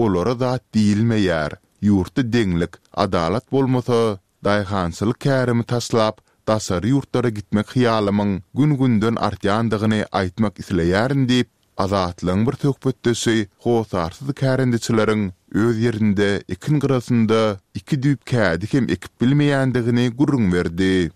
olara zat diýilmeýär. Ýurtda deňlik, adalat bolmasa, daýhançylyk kärimi taşlap, daşary ýurtlara gitmek hyýalymyň gün-günden artýandygyny aýtmak isleýärin diýip, Azatlygyň bir söhbetdeşi hossarsyz kärendeçileriň öz ýerinde ekin gyrasynda iki düýp kädi hem ekip bilmeýändigini gürrüň berdi.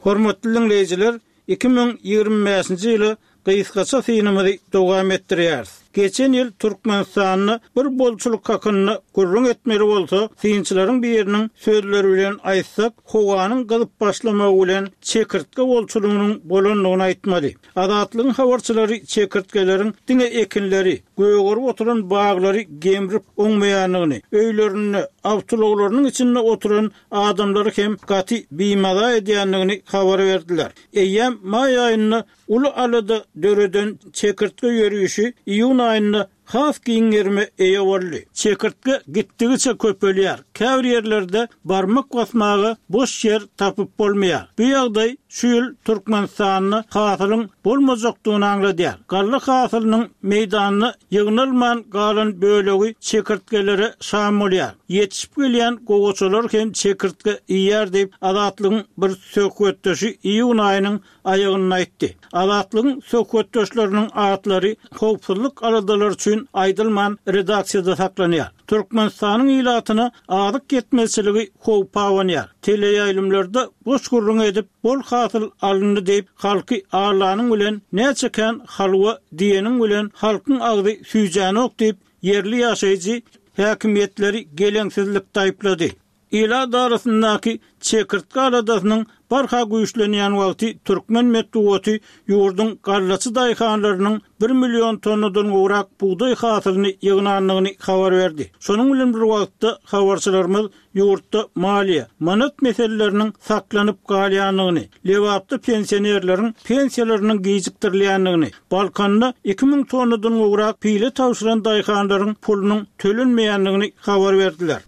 Hormatly diňleýjiler, 2025-nji ýyla gysgaça synymyzy dowam etdirýäris. Geçen ýyl Türkmenistanda bir bolçulyk hakynda gürrüň etmeli bolsa, synçylaryň biriniň sözleri bilen aýtsak, howanyň gyzyp başlamagy bilen çekirtge bolçulygynyň bolandygyny aýtmaly. Azatlygyň habarçylary çekirtgeleriň diňe ekinleri, gögerip oturan baglary gemrip oňmaýandygyny, öýlerinde, awtoulaglarynyň içinde oturan adamlary hem gaty bimaza edýändigini habar berdiler. Eýýäm maý aýynda Uly alada döreden çekirtge ýörişi iýun aýynda has giň gerime eýe boldy. Çekirtge gitdigiçe köpelýär, käbir ýerlerde barmak basmaga boş ýer tapyp bolmaýar. Bu ýagdaý şu ýyl Türkmenistanda hasylyň bolmajakdygyny aňladýar. Galla hasylynyň meýdanda ýygnalman galan bölegi çekirtgelere şam bolýar. Ýetişip gelýän gowaçalar hem çekirtge iýýär diýip, Azatlygyň bir söhbetdeşi iýun aýynyň aýagynda aýtdy. Azatlygyň söhbetdeşleriniň atlary howpsuzlyk aladalary üçin aýdylman redaksiýada saklanýar. Türkmenistanyň ilatyna azyk ýetmezçiligi howp abanýar. Teleýaýlymlarda boş gürrüň edip, bol hasyl alyndy diýip, halky aldanyň bilen näçe kän halwa diýeniň bilen halkyň agzy süýjänok diýip, ýerli ýaşaýjy häkimiýetleri geleňsizlikde aýyplady. Ilat arasyndaky çekirtge aladasynyň barha güýçlenýän wagty türkmen metbugaty ýurduň gallaçy daýhanlarynyň bir million tonnadan gowrak bugdaý hasylyny ýygnandygyny habar berdi. Şonuň bilen bir wagtda, habarçylarymyz ýurtda maliýe, manat meseleleriniň saklanyp galýandygyny, Lebapda pensionerleriň pensiýalarynyň gijikdirilýändigini, Balkanda 2000 tonnadan gowrak pile tabşyran daýhanlaryň pulunyň tölenmeýändigini habar berdiler.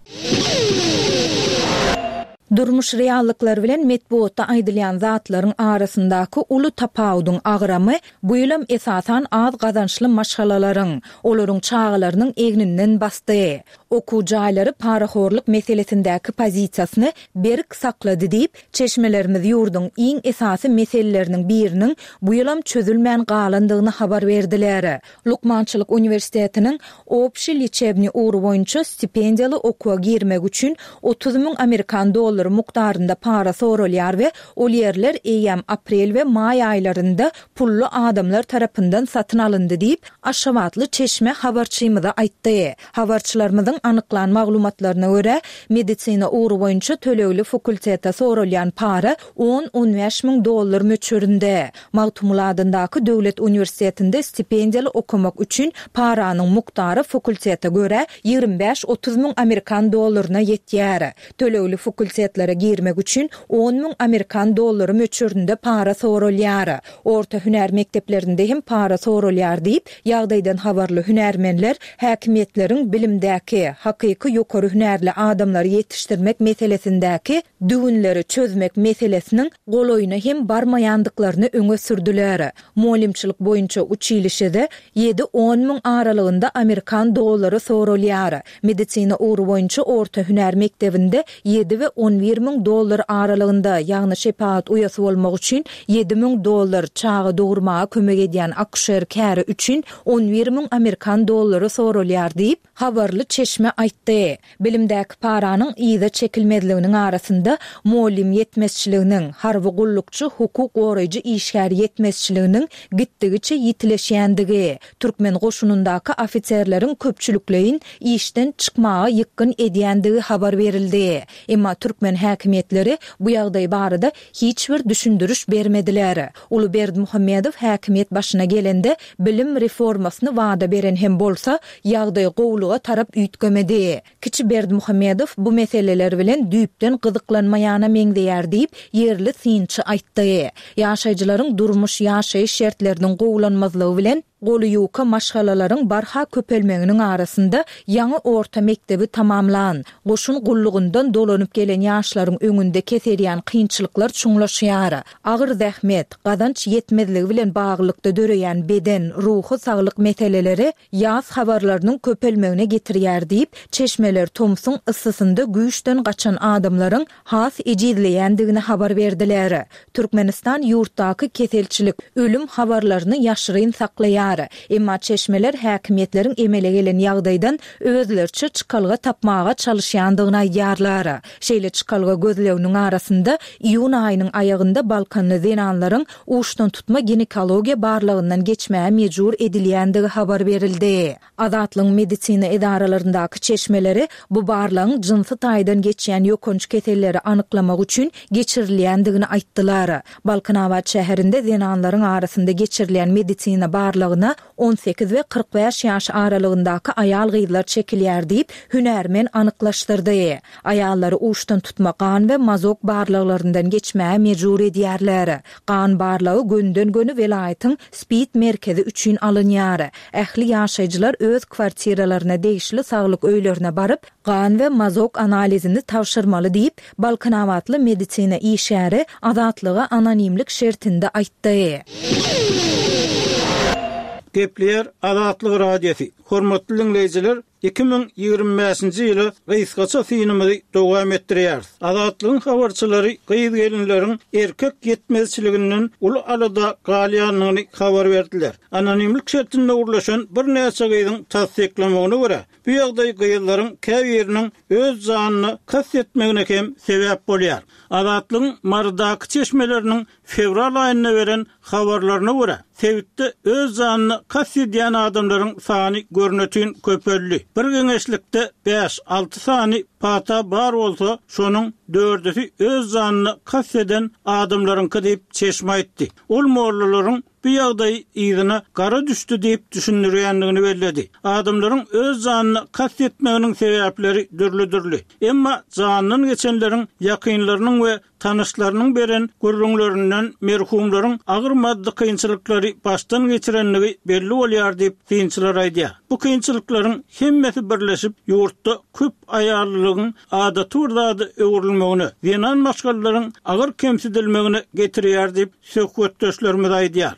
Durmuş reallyklary bilen metbugatda aýdylýan zatlaryň arasyndaky uly tapawudyň agramy bu ýylam esasan az gazançly maşgalalaryň, olaryň çagalarynyň egninden basdy. Okuw jaýlary parahorluk meselesindäki pozisiýasyny berk saklady diýip, çeşmelerimiz ýurduň iň esasy meseleleriniň biriniň bu ýylam çözülmän galandygyny habar berdiler. Lukmançylyk uniwersitetiniň Obşiý leçebniý ugry boýunça stipendiýaly okuwa girmek üçin 30 müň amerikan dollary mukdarynda para soralýar we ol ýerler eýýäm aprel we maý aýlarynda pully adamlar tarapyndan satyn alyndy diýip, aşgabatly çeşme habarçymyza aýtdy. Habarçylarymyzyň anyklan maglumatlaryna görä, medisina ugry boýunça tölegli fakultete soralýan para on-on bäş müň dollar möçberinde. Magtymguly adyndaky döwlet uniwersitetinde stipendiýaly okamak üçin paranyň mukdary fakultete görä 25-30 müň amerikan dollaryna ýetýär. Tölegli fakultetlere girmek üçin on müň amerikan dollary möçberinde para soralýar. Orta hünär mekdeplerinde hem para soralýar diýip, ýagdaýdan habarly hünärmenler häkimiýetleriň bilimdäki, hakyky ýokary hünärli adamlary ýetişdirmek meselesindäki düwünleri çözmek meselesiniň golaýyna hem barmaýandyklaryny öňe sürdüler. Mugallymçylyk boýunça uçilişede ýedi-on müň aralygynda amerikan dollary soralýar. Medisina ugry boýunça orta hünär mekdebinde ýedi we on bir müň dollar aralygynda, ýagny şepagat uýasy bolmak üçin ýedi müň dollar, çaga dogurmaga kömek edýän akuşer käri üçin on bir müň amerikan dollary soralýar diýip, habarly çeşme aýtdy. Bilimdäki paranyň yza çekilmezliginiň arasynda mugallym ýetmezçiliginiň, harby gullukçy, hukuk goraýjy işgär ýetmezçiliginiň gitdigiçe ýitileşýändigi, türkmen goşunyndaky ofiserleriň köpçülikleýin işden çykmaga ýykgyn edýändigi habar berildi. Emma türkmen häkimiýetleri bu ýagdaý barada hiç bir düşündiriş bermediler. Uly Berdimuhamedow häkimiýet başyna gelende bilim reformasyny wada beren hem bolsa, ýagdaý gowulyga tarap üýtgemedi. Kiçi Berdimuhamedow bu meseleler bilen düýpden gyzyklanmaýana meňzeýär diýip, ýerli synçy aýtdy. Ýaşaýjylaryň durmuş-ýaşaýyş şertleriniň gowulanmazlygy bilen. Goly ýuka maşgalalaryň barha köpelmeginiň arasynda ýaňy orta mekdebi tamamlan, goşun gullugyndan dolanyp gelen ýaşlaryň öňünde keserýän kynçylyklar çuňlaşýar. Agyr zähmet, gazanç ýetmezligi bilen baglylykda döreýän beden, ruhy saglyk meseleleri ýas habarlarynyň köpelmegine getirýär diýip, çeşmeler tomsuň yssysynda güýçden gaçan adamlaryň has ejizleýändigini habar berdiler. Türkmenistan ýurtdaky keselçilik, ölüm habarlaryny ýaşyryn saklaýar. Emma çeşmeler häkimiýetleriň emele gelen ýagdaýdan özleriçe çykalga tapmaga çalyşýandygyny aýdýarlar. Şeýle çykalga gözleginiň arasynda iýun aýynyň aýagynda balkanly zenanlaryň uçdantutma ginekologiýa barlagyndan geçmäge mejbur edilýändigi habar berildi. Azatlygyň medisina edaralaryndaky çeşmeleri bu barlagyň jynsy taýdan geçýän ýokanç keselleri anyklamak üçin geçirilýändigini aýtdylar. Balkanabat şäherinde zenanlaryň arasynda geçirilýän medisina barlagyna 18 we 45 ýaş aralygyndaky aýal-gyzlar çekilýär diýip, hünärmen anyklaşdyrdy. Aýallary uçdantutma gan we mazok barlaglaryndan geçmäge mejbur edýärler. Gan barlagy gönüden-göni welaýatyň Spid merkezi üçin alynýar. Ähli ýaşaýjylar öz kwartiralaryna degişli saglyk öýlerine baryp, gan we mazok analizini tabşyrmaly diýip, balkanabatly medisina işgäri Azatlyga anonimlik şertinde aýtdy. Gepleýär Azatlyk Radiosy, Hormatly diňleýjiler, 2025-nji ýyla gysgaça synymyzy dowam etdirýäris. Azatlygyň habarçylary gyz-gelinleriň erkek ýetmezçiliginden uly alada galýandygyny habar berdiler. Anonimlik şertinde gürleşen birnäçe gyzyň tassyklamagyna görä, bu ýagdaý gyzlaryň käbiriniň öz janyna kast etmegine hem sebäp bolýar. Azatlygyň Marydaky çeşmeleriniň Fewral aýynda beren habarlaryna görä, sebitde öz janyna kast edýän adamlaryň sany görnetin köpeldi. Bir geňeşlikde bäş-alty sany pata bar bolsa, şonuň dördüsi öz janyna kast eden adamlaryňky diýip, çeşme aýtdy. Ol mollalaryň bu ýagdaýy yzyna gara düşdi diýip düşündirýändigini belledi. Adamlaryň öz janyna kast etmeginiň sebäpleri dürli-dürli. Emma janyndan geçenleriň ýakynlarynyň we Tanyşlarynyň beren gürrüňlerinden merhumlaryň agyr maddy kynçylyklary başdan geçirendigi belli bolýar diýip, synçylar aýdýar. Bu kynçylyklaryň hemmesi birleşip, ýurtda köp aýallylygyň adaty bir zada öwrülmegine, zenan maşgalalaryň agyr kemsidilmegine getirýär diýip, söhbetdeşlerimiz aýdýar.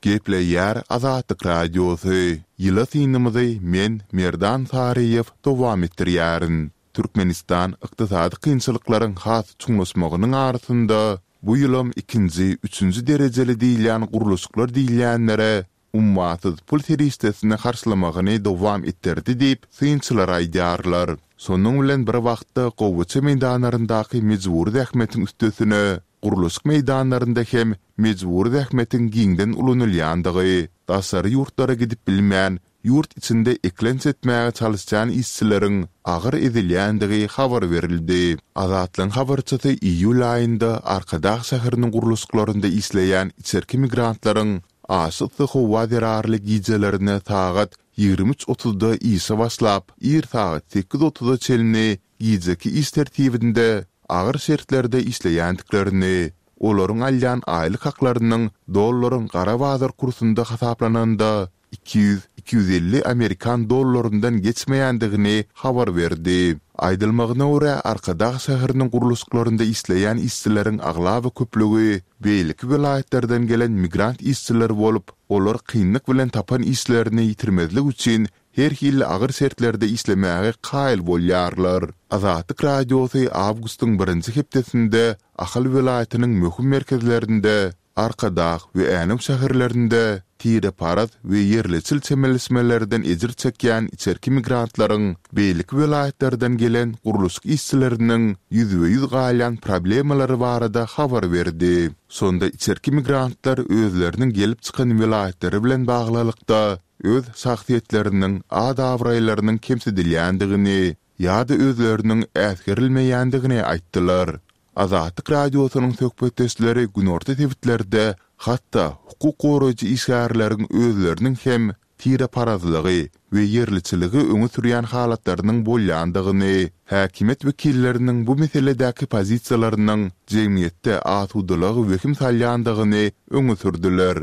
Gepleýär Azatlyk Radiosy, Ýyla synymyzy men, Merdan Saryýew, dowam etdirýärin. Türkmenistan ykdysady kynçylyklaryň has çuňlaşmagynyň arasynda bu ýylam ikinji, üçünji derejeli diýilýän gurluşyklar diýilýänlere ummasyz pul serişdesini harçlamagyny dowam etdirdi diýip, synçylar aýdýarlar. Şonuň bilen bir wagtda gowaça meýdanlaryndaky mejbury zähmetiň üstesine, gurluşyk meýdanlarynda hem mejbury zähmetiň giňden ulanylýandygy, daşary ýurtlara gidip bilmän, ýurt içinde eklenç etmäge çalyşýan işçileriň agyr ezilýändigi habar berildi. Azatlygyň habarçysy iýul aýynda Arkadag şäheriniň gurluşyklarynda işleýän içerki migrantlaryň aşa yssy howa zerarly gijelerine sagat 23 otuzda işe başlap, ir sagat sekiz otuza çenli gijeki iş tertibinde agyr şertlerde işleýändiklerini, olaryň alýan aýlyk haklarynyň dollaryň gara bazar kursunda hasaplananda 200, 250 amerikan dollaryndan geçmeýändigini habar berdi. Aýdylmagyna görä, Arkadag şäheriniň gurluşyklarynda işleýän işçileriň aglaba köplügi beýleki welaýatlardan gelen migrant işçiler bolup, olar kynlyk bilen tapan işlerini ýitirmezlik üçin her hili agyr şertlerde işlemäge kaýyl bolýarlar. Azatlyk Radiosy awgustyň birinji hepdesinde Ahal welaýatynyň möhüm merkezlerinde, Arkadag we Änew şäherlerinde tireparaz we ýerleçil çemeleşmelerden ejir çekýän içerki migrantlaryň beýleki welaýatlardan gelen gurluşyk işçileriniň ýüzbe-ýüz galýan problemalary barada habar berdi. Şonda içerki migrantlar özleriniň gelip çykan welaýatlary bilen baglylykda öz şahsyýetleriniň at-abraýlarynyň kemsidilýändigini ýa-da özleriniň äsgerilmeýändigini aýtdylar. Azatlyk Radiosynyň söhbetdeşleri günorta sebitlerde hatda hukuk goraýjy işgärleriň özleriniň hem tireparazlygy we ýerliçiligi öňe sürýän halatlarynyň bolýandygyny, häkimiýet wekilleriniň bu meseledäki pozisiýalarynyň jemgyýetde asudalyga wehim salýandygyny öňe sürdüler.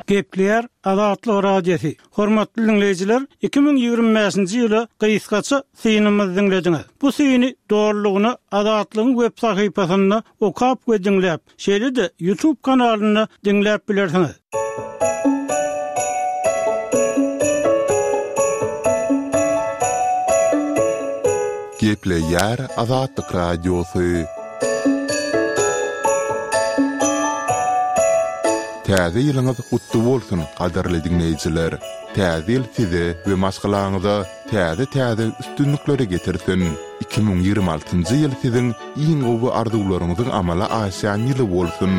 Gepleýär Azatlyk Radiosy. Hormatly diňleýjiler, 2025-nji ýyla gysgaça synymyzy diňlediňiz. Bu syny dolulygyna Azatlygyň web sahypasynda okap we diňläp, şeýle-de YouTube kanalynda diňläp bilersiňiz. Gepleýär Azatlyk Radiosy. Täze ýylyňyz gutly bolsun, gadyrly diňleýjiler! Täze ýyl size we maşgalaňyza täze-täze üstünlikleri getirsin! 2026-njy ýyl siziň iň gowy arzuwlaryňyzyň amala aşýan ýyly bolsun!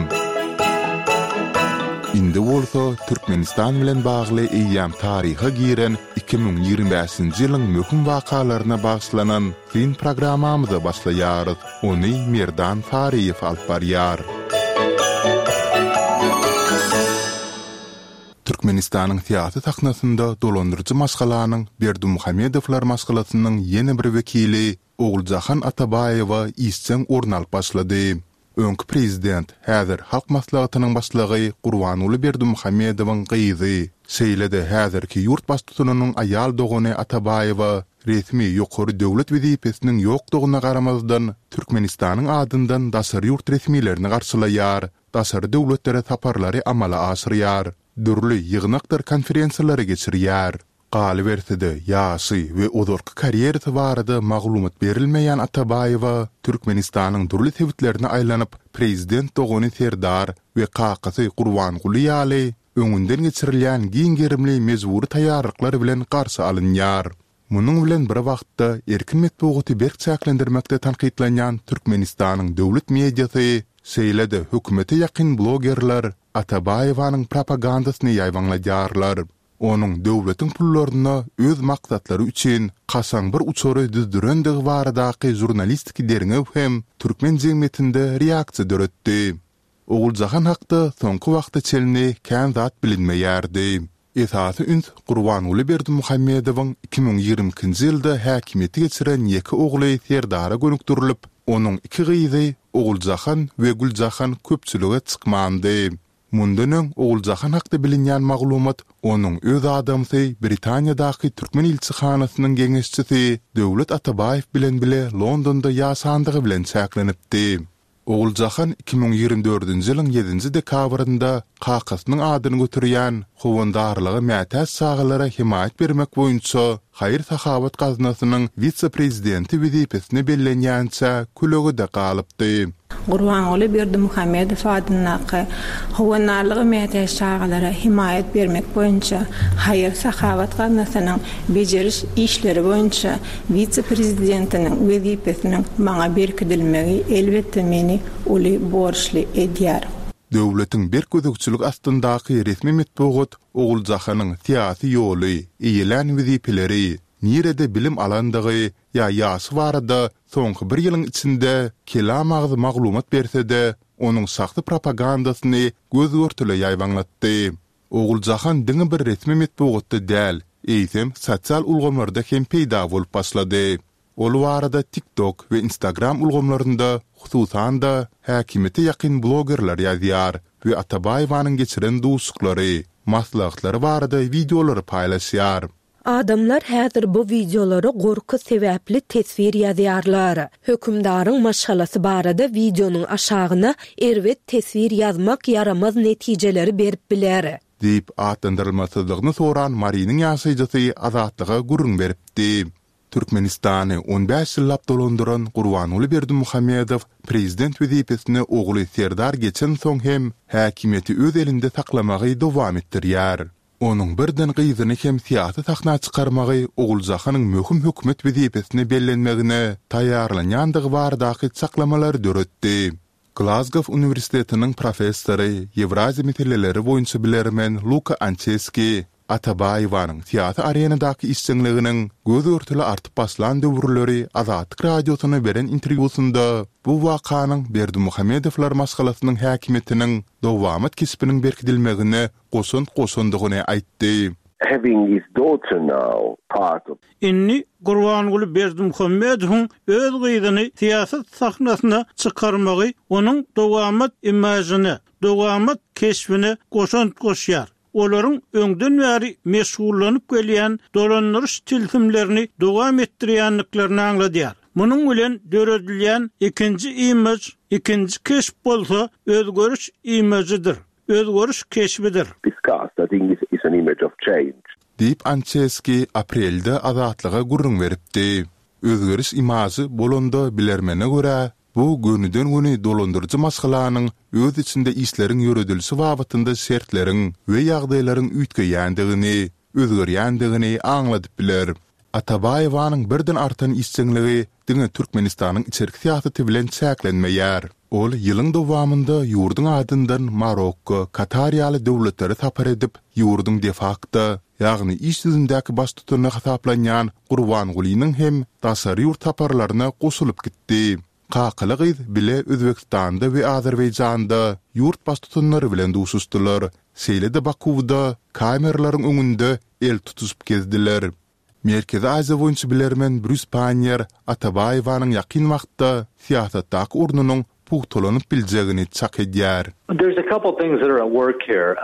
Indi bolsa Türkmenistan bilen bagly eýýäm taryha giren 2025-nji ýylyň möhüm wakalaryna bagyşlanan Syn programmamyza başlaýarys. Ony Merdan Saryýew alyp barýar. Türkmenistanyň syýasy sahnasynda dolandyryjy maşgalanyň Berdimuhamedowlar maşgalasynyň ýene bir wekili Oguljahan Atabaýewa işjeň orun alyp başlady. Öňki prezident, häzir Halk Maslahatynyň başlygy Gurbanguly Berdimuhamedowyň gyzy, şeýle-de häzirki ýurt baştutanynyň aýal dogany Atabaýewa resmi ýokary döwlet wezipesiniň ýokdugyna garamazdan, Türkmenistanyň adyndan daşary ýurt resmilerini garşylaýar, daşary döwletlere saparlary amala aşyrýar, dürli ýygnakdyr konferensiýalary geçirýär. Galyberse-de, ýaşy we ozalky karýerasy barada maglumat berilmeýän Atabaýewa Türkmenistanyň dürli sebitlerine aýlanyp, prezident dogany Serdar we kakasy Gurbanguly ýaly, öňünden geçirilýän giň gerimli mejbury taýýarlyklar bilen garşy alynýar. Munuň bilen bir wagtda, erkin metbugaty berk çäklendirmekde tankytlanýan Türkmenistanyň döwlet mediasy, şeýle-de hökümete ýakyn blogerler Atabaýewanyň propagandasyny ýaýbaňladýarlar. Onuň döwletiň pullaryna öz maksatlary üçin kaşaň bir uçary düzdürendigi baradaky žurnalistiki derňew hem türkmen jemgyýetinde reaksiýa döretdi. Oguljahan hakda soňky wagta çenli kän zat bilinmeýärdi. Esasy üns Gurbanguly Berdimuhamedowyň 2022-nji ýylda häkimiýete geçiren ýeke ogly Serdara gönükdirilip, onuň iki gyzy Oguljahan we Güljahan köpçülige çykmandy. Mundan öň Oguljahan hakda bilinýän maglumat onuň öz adamsy Britaniýadaky türkmen ilçihanasynyň geňeşçisi Döwlet Atabaýew bilen bile Londonda ýaşandygy bilen çäklenipdi. Oguljahan 2024-nji ýylyň ýedinji dekabrynda kakasynyň adyny göterýän Howandarlyga mätäç çagalara hemaýat bermek boýunça haýyr-sahawat gaznasynyň wise-prezidenti wezipesine bellenýänçä kölegede galypdy. Gurbanguly Berdimuhamedow adyndaky Howandarlyga mätäç çagalara hemaýat bermek boýunça haýyr-sahawat gaznasynyň bejeriş işleri boýunça wise-prezidentiniň wezipesiniň maňa berkidilmegi elbetde meni uly borçly edýär. Döwletiň berk gözegçilik astyndaky resmi metbugat Oguljahanyň syýasy ýoly, eýelän wezipeleri, nirede bilim alandygy ýa ýaşy barada soňky bir ýylyň içinde kelam-agyz maglumat berse-de, onuň şahsy propagandasyny göz-görtele ýaýbaňlatdy. Oguljahan diňe bir resmi metbugatda däl, eýsem, sosial ulgamlarda hem peýda bolup başlady. Ol barada TikTok we Instagram ulgamlarynda, hususan-da, häkimiýete ýakyn blogerler ýazýar we Atabaýewanyň geçiren duşuşyklary, maslahatlary barada wideolary paýlaşýar. Adamlar häzir bu wideolara gorky sebäpli teswir ýazýarlar. Hökümdaryň maşgalasy barada wideonyň aşagyna erbet teswir ýazmak ýaramaz netijeleri berip biler. Diýip, atlandyrylmasyzlygyny soran Marynyň ýaşaýjysy Azatlyga gürrüň beripdi. Türkmenistany on bäş ýyllap dolandyran Gurbanguly Berdimuhamedow prezident wezipesine ogly Serdar geçensoň hem häkimiýeti öz elinde saklamagy dowam etdirýär. Onuň birden gyzyny hem syýasy sahna çykarmagy Oguljahanyň möhüm hökümet wezipesine bellenmegine taýýarlanýandygy baradaky çaklamalary döretdi. Glazgow uniwersitetiniň professory, Ýewraziýa meseleleri boýunça bilermen Luka Ançeski Atabaýewanyň syýasy arenadaky işjeňliginiň göz-görtele artyp başlan döwürleri Azatlyk Radiosyna beren interwýusynda bu wakanyň Berdimuhamedowlar maşgalasynyň häkimiýetiniň dowamat keşbiniň berkidilmegine goşant goşandygyny aýtdy. Having his daughter now part of. Indi Gurbanguly Berdimuhamedowyň öz gyzyny syýasat sahnasyna çykarmagy onuň dowamat imažyna, dowamat keşbine goşant goşýar. Olaryň öňden bäri meşgullanyp gelýän dolandyryş tilsimlerini dowam etdirýändiklerini aňladýar. Munuň bilen döredilýän ikinji imaž, ikinji keşp bolsa özgeriş imažydyr, özgeriş keşbidir. Discussed, I think is an image of change. Diýip, Ançeski aprelde Azatlyga gürrüň beripdi. Özgeriş imažy bolanda bilermene görä, Bu gönüden-göni dolandyryjy maşgalanyň öz içinde işleriň ýöredilişi babatynda şertleriň we ýagdaýlaryň üýtgeýändigini, özgerýändigini aňladyp biler. Atabaýewanyň birden artan işjeňligi diňe Türkmenistanyň içerki syýasaty bilen çäklenmeýär. Ol ýylyň dowamynda ýurduň adyndan Marokko, Katar ýaly döwletlere sapar edip, ýurduň de-fakto, ýagny iş ýüzündäki baştutany hasaplanýan Gurbangulynyň hem daşary ýurt saparlaryna goşulyp gitdi. Kakaly-gyz bile Özbegistanda we Azerbaýjanda ýurt baştutanlary bilen duşuşdylar, şeýle-de Bakuwda kameralaryň öňünde el tutuşyp gezdiler. Merkezi Aziýa boýunça bilermen Brýus Panniýer Atabaýewanyň ýakyn wagtda syýasatdaky ornunyň pugtalanyp biljegini çak edýär. There's a couple things that are at work here.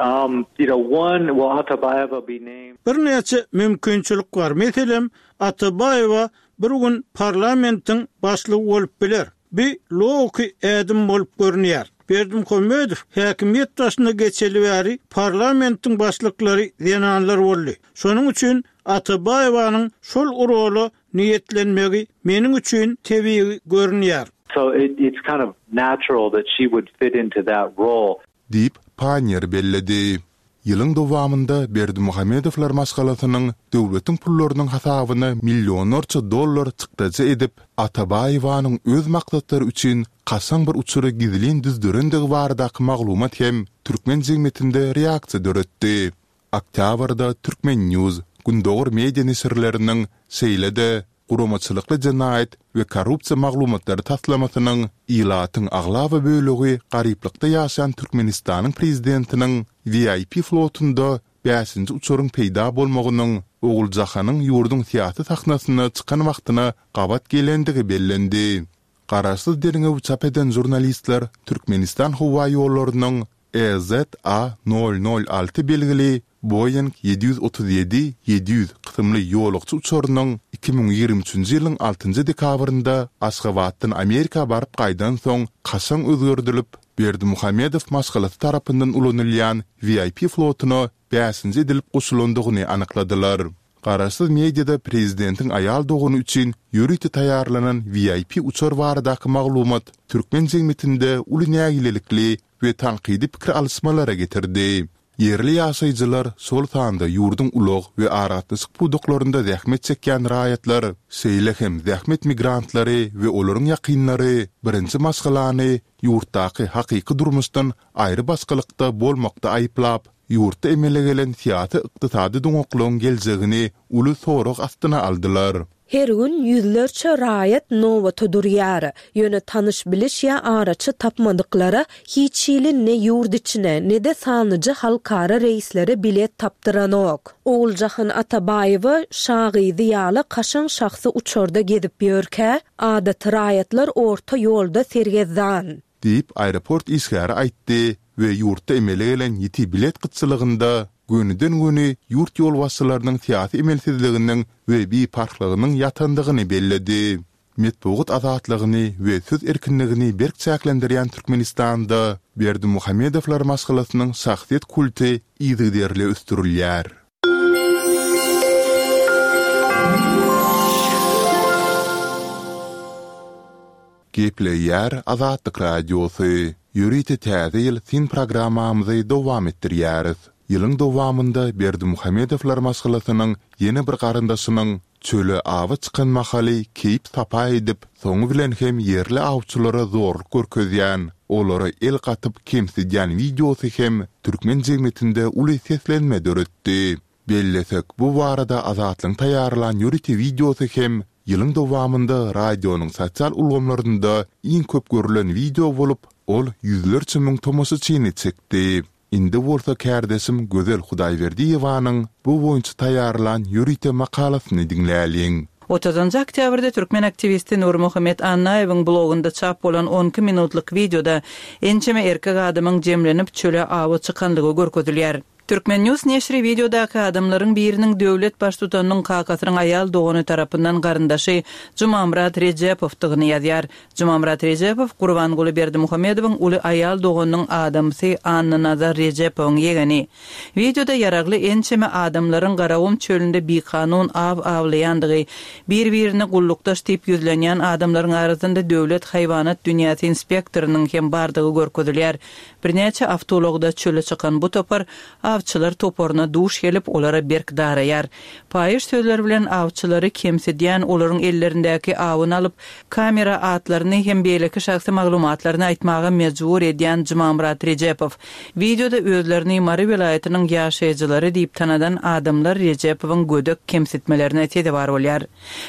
You know, one, will Atabaýewa be named? Birnäçe mümkinçilik bar. Meselem, Atabaýewa bir gün parlamentiň başlygy bolup biler. Bi logiki ädim bolup görünýär. Berdimuhamedow häkimiýet başyna geçeli bäri parlamentiň başlyklary zenanlar boldy. Şonuň üçin Atabaýewanyň şol rola niýetlenmegi meniň üçin tebigy görünýär. So it it's kind of natural that she would fit into that role. Diýip, Panniýer belledi. Ýylyň dowamynda Berdimuhamedowlar maşgalasynyň döwletiň pullarynyň hasabyna millionlarça dollar çykdajy edip, Atabaýewanyň öz maksatlary üçin kaşaň bir uçury gizlin düzdürendigi baradaky maglumat hem türkmen jemgyýetinde reaksiýa döretdi. Oktýabrda Turkmen. News, Gündogar media neşirleriniň, şeýle-de Guramaçylykly jenaýat we korrupsiýa maglumatlary taslamasynyň ilatyň aglaba bölegi garyplykda ýaşaýan Türkmenistanyň prezidentiniň VIP flotunda bäşinji uçaryň peýda bolmagynyň Oguljahanyň ýurduň syýasy sahnasyna çykan wagtyna gabat gelendigi bellendi. Garaşsyz derňewi çap eden žurnalistler Türkmenistan howaýollarynyň EZA nol nol alty belgili Boeing 737 700 kysymly ýolagçy uçarynyň 2023-nji ýylyň altynjy dekabrynda Aşgabatdan Amerika baryp gaýdan soň kaşaň özgerdilip, Berdimuhamedow maşgalasy tarapyndan ulanylýan VIP flotuna bäşinji edilip goşulandygyny anykladylar. Garaşsyz mediada prezidentiň aýal dogany üçin ýörite taýýarlanan VIP uçar baradaky maglumat türkmen jemgyýetinde uly nägilelikli we tankydy pikir alyşmalara getirdi. Ýerli ýaşaýjylar, şol sanda ýurduň ulag we aragatnaşyk pudaklarynda zähmet çekýän raýatlar, şeýle hem zähmet migrantlary we olaryň ýakynlary birinji maşgalany ýurtdaky hakyky durmuşdan aýrybaşgalykda bolmakda aýyplap, ýurtda emele gelen syýasy-ykdysady doňaklygyň geljegini uly sorag astyna aldylar. Her gün ýüzlerçe raýat nobata durýar. Ýöne tanyş-biliş ýa araçy tapmadyklara hiç hili ne ýurt içine, ne-de sanlyja halkara reýslere bilet tapdyranok. Oguljahan Atabaýewa şa gyzy ýaly kaşaň şahsy uçarda gezip ýörkä, adaty raýatlar orta ýolda sergezdan. Diýip, aeroport işgäri aýtdy we ýurtda emele gelen ýiti bilet gytçylygynda gönüden-göni ýurt ýolbaşçylarynyň syýasy emelsizliginiň we biparhlygynyň ýatandygyny belledi. Metbugat azatlygyny we söz erkinligini berk çäklendirýän Türkmenistanda Berdimuhamedowlar maşgalasynyň şahsyýet kulty yzygiderli ösdürilýär. Gepleýär Azatlyk Radiosy. Ýörite Täze ýyl syn programmamyzy dowam etdirýäris. Ýylyň dowamynda Berdimuhamedowlar maşgalasynyň ýene bir garyndaşynyň çöle awa çykan mahaly keýp-sapa edip, soňy bilen hem ýerli awçylara zorluk görkezýän, olara el gatyp kemsidýän wideosy hem türkmen jemgyýetinde uly seslenme döretdi. Bellesek, bu barada Azatlygyň taýýarlan ýörite wideosy hem ýylyň dowamynda radionyň sosial ulgamlarynda iň köp görlen wideo bolup, ol ýüzlerçe müň tomaşaçyny çekdi. Indi bolsa kärdeşim Gözel Hudaýberdiýewanyň bu boýunça taýýarlan ýörite makalasyny diňläliň. Otuzynjy oktýabrda türkmen aktiwisti Nurmuhammet Annaýewiň blogunda çap bolan on iki minutlyk wideoda ençeme erkek adamyň jemlenip çöle awa çykanlygy görkezilýär. Turkmen. News neşiri wideodaky adamlaryň biriniň döwlet baştutanynyň kakasynyň aýal dogany tarapyndan garyndaşy Jumamyrat Rejepowdygyny ýazýar. Jumamyrat Rejepow Gurbanguly Berdimuhamedowyň uly aýal doganynyň adamsy Annanazar Rejepowyň ýegeni. Wideoda ýaragly ençeme adamlaryň Garagum çölünde bikanun aw awlaýandygy, bir-birine gullukdaş diýip ýüzlenýän adamlaryň arasynda döwlet haýwanat dünýäsi inspektorynyň hem bardygy görkezilýär. Birnäçe awtoulagda çöle çykan bu topar awçylar toparyna duş gelip, olara berk daraýar. Paýyş sözler bilen awçylary kemsidýän, olaryň ellerindäki awyny alyp, kamera atlaryny hem beýleki şahsy maglumatlaryny aýtmaga mejbur edýän Jumamyrat Rejepow. Wideoda özlerini Mary welaýatynyň ýaşaýjylary diýip tanadan adamlar Rejepowyň gödek kemsitmelerine sezewar bolýar.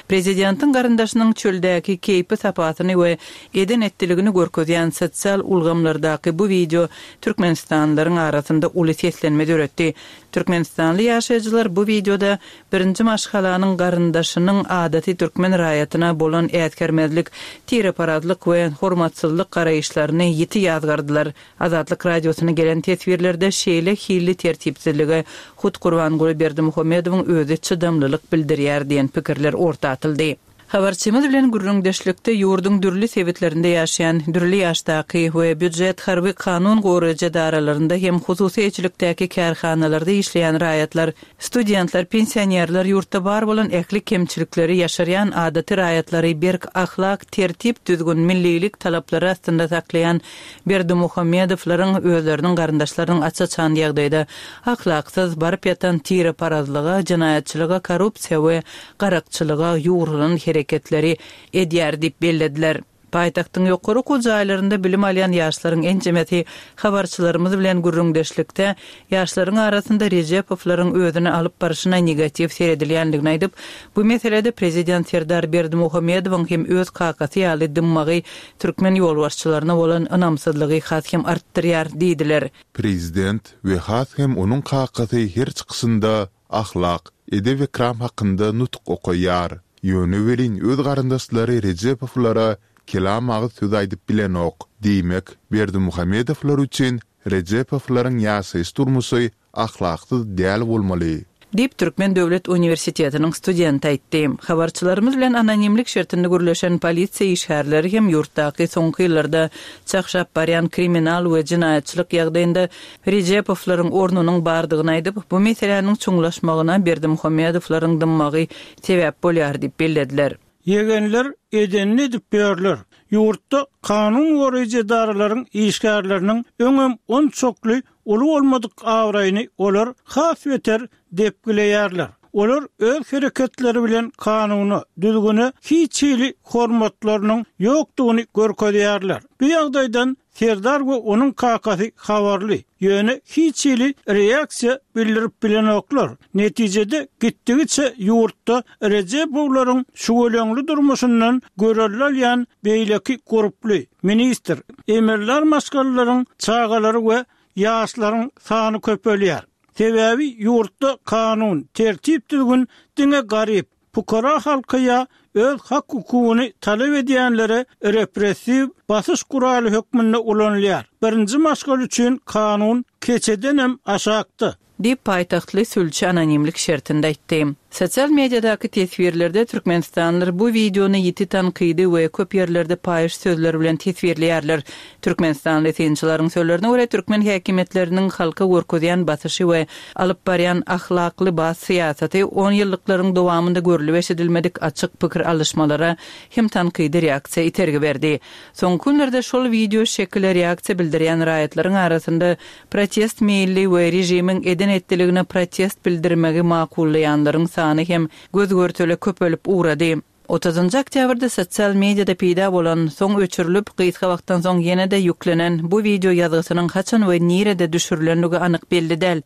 Prezidentiň garyndaşynyň çöldäki keýpi-sapasyny we eden-etdiligini görkezýän sosial ulgamlardaky bu wideo türkmenistanlylaryň arasynda uly seslenme döretdi. Türkmenistanly ýaşaýjylar bu wideoda birinji maşgalanyň garyndaşynyň adaty türkmen raýatyna bolan äsgermezlik, tireparazlyk we hormatsyzlyk garaýyşlaryny ýiti ýazgardylar. Azatlyk Radiosyna gelen teswirlerde şeýle hilli tertipsizlige hut Gurbanguly Berdimuhamedowyň özi çydamlylyk bildirýär diýen pikirler orta atyldy. Habarçymyz bilen gürrüňdeşlikde ýurduň dürli sebitlerinde ýaşaýan dürli ýaşdaky we býujet, harby, kanun goraýjy edaralarynda hem hususy eýeçilikdäki kärhanalarda işleýän raýatlar, studentler, pensionerler ýurtda bar bolan ähli kemçilikleri ýaşyrýan adaty raýatlary berk ahlak, tertip-düzgün, millilik talaplary astynda saklaýan Berdimuhamedowlaryň özleriniň garyndaşlarynyň aç-açan ýagdaýda ahlaksyz, baryp ýatan tireparazlyga, jenaýatçylyga, korrupsiýa we garakçylyga ýugrulan hereketleri edýär diýip bellediler. Paýtagtyň ýokary okuw jaýlarynda bilim alýan ýaşlaryň ençemesi habarçylarymyz bilen gürrüňdeşlikde ýaşlaryň arasynda Rejepowlaryň özüni alyp barşyna negatiw seredilýändigini aýdyp, bu meselede prezident Serdar Berdimuhamedowyň hem öz kakasy ýaly dymmagy türkmen ýolbaşçylaryna bolan ynamsyzlygy has hem artdyrýar diýdiler. Prezident we has hem onuň kakasy her çykyşynda ahlak, edep-ekram hakynda nutuk okaýar. Ýöne welin öz garyndaşlary Rejepowlara kelam agyz söz aýdyp bilenok. Diýmek, Berdimuhamedowlar üçin Rejepowlaryň ýaşaýyş-durmuşy ahlaksyz däl bolmaly. Diýip, Türkmen döwlet uniwersitetiniň studenti aýtdy. Habarçylarymyz bilen anonimlik şertinde gürleşen polisiýa işgärleri hem ýurtdaky soňky ýyllarda çagşap barýan kriminal we jenaýatçylyk ýagdaýynda Rejepowlaryň ornunyň bardygyny aýdyp, bu meseläniň çuňlaşmagyna Berdimuhamedowlaryň dymmagy sebäp bolýar diýip bellediler. Ýegenler edenini edip ýörler. Ýurtda kanun goraýjy edaralaryň işgärleriniň öňem onçakly uly bolmadyk abraýyny olar has beter depgileýärler. Olar öz hereketleri bilen kanuna, düzgüne hiç hili hormatlarynyň ýokdugyny görkezýärler. Bu ýagdaýdan Serdar we onuň kakasy habarly, ýöne hiç hili reaksiýa bildirip bilenoklar. Netijede gitdigiçe ýurtda Rejepowlaryň şüweleňli durmuşyndan görelde alýan beýleki gurply, ministr, emeldar maşgalalaryň çagalary we ýaşlaryň sany köpelýär. Sebäbi ýurtda kanun, tertip-düzgün diňe garyp, Pukara halka ýa öz hak-hukugyny talap edýänlere repressiw basyş guraly hökmünde ulanylýar. Birinji maşgala üçin kanun keçedenem aşakda. Diýip, paýtagtly sülçi anonimlik şertinde aýtdy. Sosial mediadaky teswirlerde türkmenistanlylar bu wideony ýiti tankydy we köp ýerlerde paýyş sözler bilen teswirleýärler. Türkmenistanly synçylaryň sözlerine görä, türkmen häkimiýetleriniň halka görkezýän basyşy we alyp barýan ahlakly bas syýasaty onýyllyklaryň dowamynda görlüp-eşidilmedik açyk pikir alyşmalara hem tankydy reaksiýa itergi berdi. Soňky günlerde şol wideo şekile reaksiýa bildirýän raýatlaryň arasynda protest meýilli we režimiň eden-etdiligine protest bildirmegi makullaýanlaryň sany hem göz-görtele köpelip ugrady. Otuzynjy oktýabrda sosial mediada peýda bolan, soň öçürilip, gysga wagtdan soň ýene-de ýüklenen bu wideo ýazgysynyň haçan we nirede düşürilenligi anyk belli däl.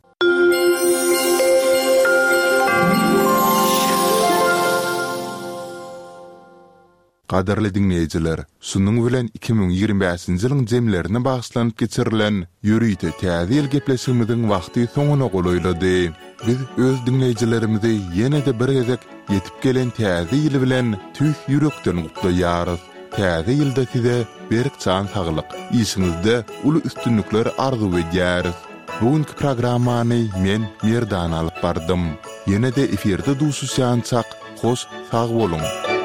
Gadyrly diňleýjiler, şunuň bilen 2025-nji ýylyň jemlerine bagyşlanyp geçirilen ýörite Täze ýyl gepleşigimiziň wagty soňuna golaýlady. Biz öz diňleýjilerimizi ýene-de bir gezek ýetip gelen Täze ýyl bilen tüýs ýürekden gutlaýarys. Täze ýylda size berk jan saglyk, işiňizde uly üstünlikler arzuw edýäris. Bu günki programmany men, Merdan alyp bardym. Ýene-de efirde duşuşýançak, hoş sag boluň!